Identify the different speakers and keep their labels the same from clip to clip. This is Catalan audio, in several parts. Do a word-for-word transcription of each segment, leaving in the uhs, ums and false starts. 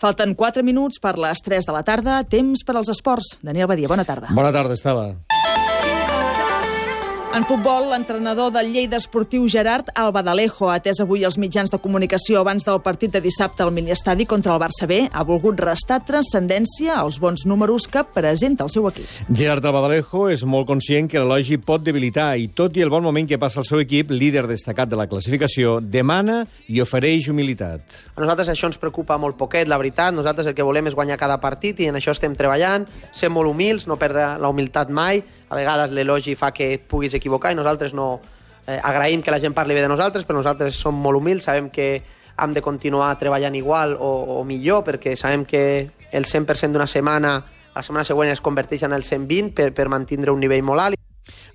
Speaker 1: Falten quatre minuts per les tres de la tarda, temps per als esports. Daniel Badia, bona tarda.
Speaker 2: Bona tarda, Estela.
Speaker 1: En futbol, l'entrenador del Lleida Esportiu Gerard Albadalejo, atès avui els mitjans de comunicació abans del partit de dissabte al miniestadi contra el Barça B, ha volgut restar transcendència als bons números que presenta el seu equip.
Speaker 2: Gerard Albadalejo és molt conscient que l'elogi pot debilitar i, tot i el bon moment que passa el seu equip, líder destacat de la classificació, demana i ofereix humilitat.
Speaker 3: A nosaltres això ens preocupa molt poquet, la veritat. Nosaltres el que volem és guanyar cada partit i en això estem treballant, ser molt humils, no perdre la humilitat mai. A vegades l'elogi fa que et puguis equivocar i nosaltres no eh, agraïm que la gent parli bé de nosaltres, però nosaltres som molt humils, sabem que hem de continuar treballant igual o, o millor, perquè sabem que el cent per cent d'una setmana, la setmana següent es converteix en el cent vint per, per mantindre un nivell molt alt.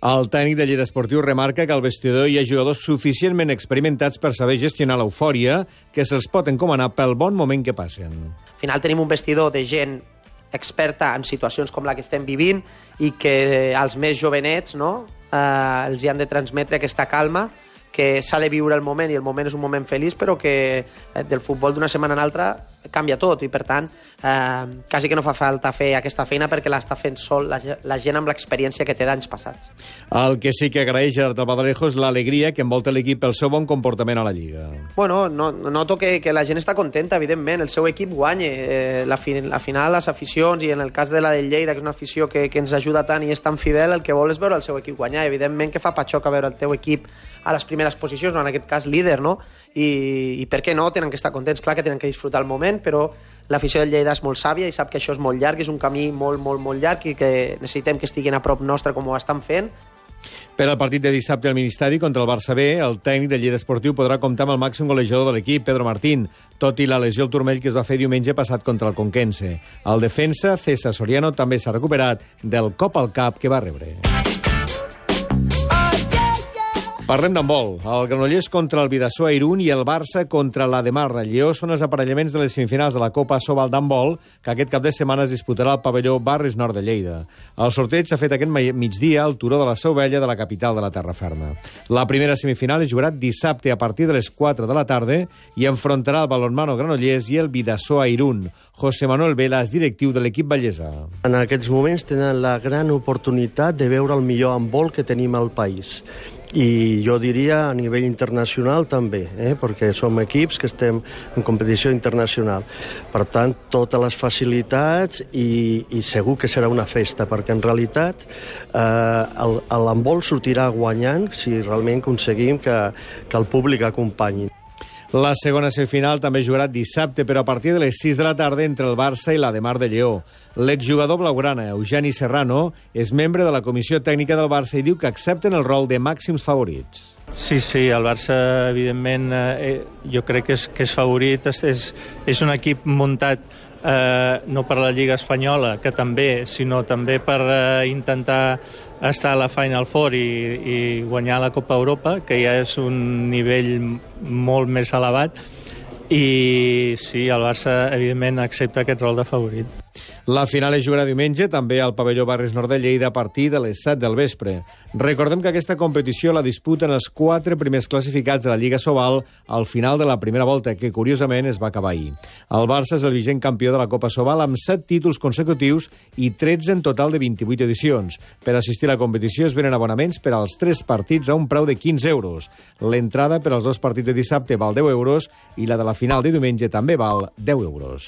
Speaker 2: El tècnic de Lleida Esportiu remarca que al vestidor hi ha jugadors suficientment experimentats per saber gestionar l'eufòria que se'ls pot encomanar pel bon moment que passen.
Speaker 3: Al final tenim un vestidor de gent experta en situacions com la que estem vivint i que als més jovenets, no, eh, els hi han de transmetre aquesta calma, que s'ha de viure el moment i el moment és un moment feliç, però que eh, del futbol d'una setmana a l'altra canvia tot i per tant eh, quasi que no fa falta fer aquesta feina perquè l'està fent sol la, la gent amb l'experiència que té d'anys passats.
Speaker 2: El que sí que agraeix Gerard Albadalejo és l'alegria que envolta l'equip pel seu bon comportament a la Lliga.
Speaker 3: Bueno, no, noto que, que la gent està contenta, evidentment, el seu equip guanya. Eh, la, fi, la final, les aficions, i en el cas de la del Lleida, que és una afició que, que ens ajuda tant i és tan fidel, el que vol és veure el seu equip guanyar. Evidentment que fa patxoca veure el teu equip a les primeres posicions, o en aquest cas líder, no? I, i per què no? Tenen que estar contents, clar que tenen que disfrutar el moment, però l'afició del Lleida és molt sàvia i sap que això és molt llarg, és un camí molt, molt, molt llarg i que necessitem que estiguin a prop nostre com ho estan fent.
Speaker 2: Per al partit de dissabte al Ministadi contra el Barça B, el tècnic del Lleida Esportiu podrà comptar amb el màxim golejador de l'equip, Pedro Martín, tot i la lesió al turmell que es va fer diumenge passat contra el Conquense. El defensa, César Soriano, també s'ha recuperat del cop al cap que va rebre. Parlem d'handbol. El Granollers contra el Bidasoa Irún i el Barça contra l'Ademar Lleó són els aparellaments de les semifinals de la Copa Sobal d'handbol que aquest cap de setmana es disputarà al pavelló Barris Nord de Lleida. El sorteig s'ha fet aquest migdia al turó de la Seu Vella de la capital de la Terra Ferma. La primera semifinal es jugarà dissabte a partir de les quatre de la tarda i enfrontarà el Balonmano Granollers i el Bidasoa Irún. José Manuel Vela és directiu de l'equip vallesa.
Speaker 4: En aquests moments tenen la gran oportunitat de veure el millor handbol que tenim al país. I jo diria a nivell internacional també, eh? perquè som equips que estem en competició internacional. Per tant, totes les facilitats i, i segur que serà una festa, perquè en realitat eh, l'handbol sortirà guanyant si realment aconseguim que, que el públic acompanyi.
Speaker 2: La segona semifinal també jugarà dissabte, però a partir de les sis de la tarda entre el Barça i l'Ademar de Lleó. L'exjugador blaugrana, Eugeni Serrano, és membre de la comissió tècnica del Barça i diu que accepten el rol de màxims favorits.
Speaker 5: Sí, sí, el Barça, evidentment, eh, jo crec que és, que és favorit. És, és un equip muntat eh, no per la Lliga Espanyola, que també, sinó també per eh, intentar estar a la Final Four i, i guanyar la Copa Europa, que ja és un nivell molt més elevat. I sí, el Barça, evidentment, accepta aquest rol de favorit.
Speaker 2: La final es jugarà diumenge, també al pavelló Barris Nord de Lleida, a partir de les set del vespre. Recordem que aquesta competició la disputen els quatre primers classificats de la Lliga Sobal al final de la primera volta, que curiosament es va acabar ahir. El Barça és el vigent campió de la Copa Sobal amb set títols consecutius i tretze en total de vint-i-vuit edicions. Per assistir a la competició es venen abonaments per als tres partits a un preu de quinze euros. L'entrada per als dos partits de dissabte val deu euros i la de la final de diumenge també val deu euros.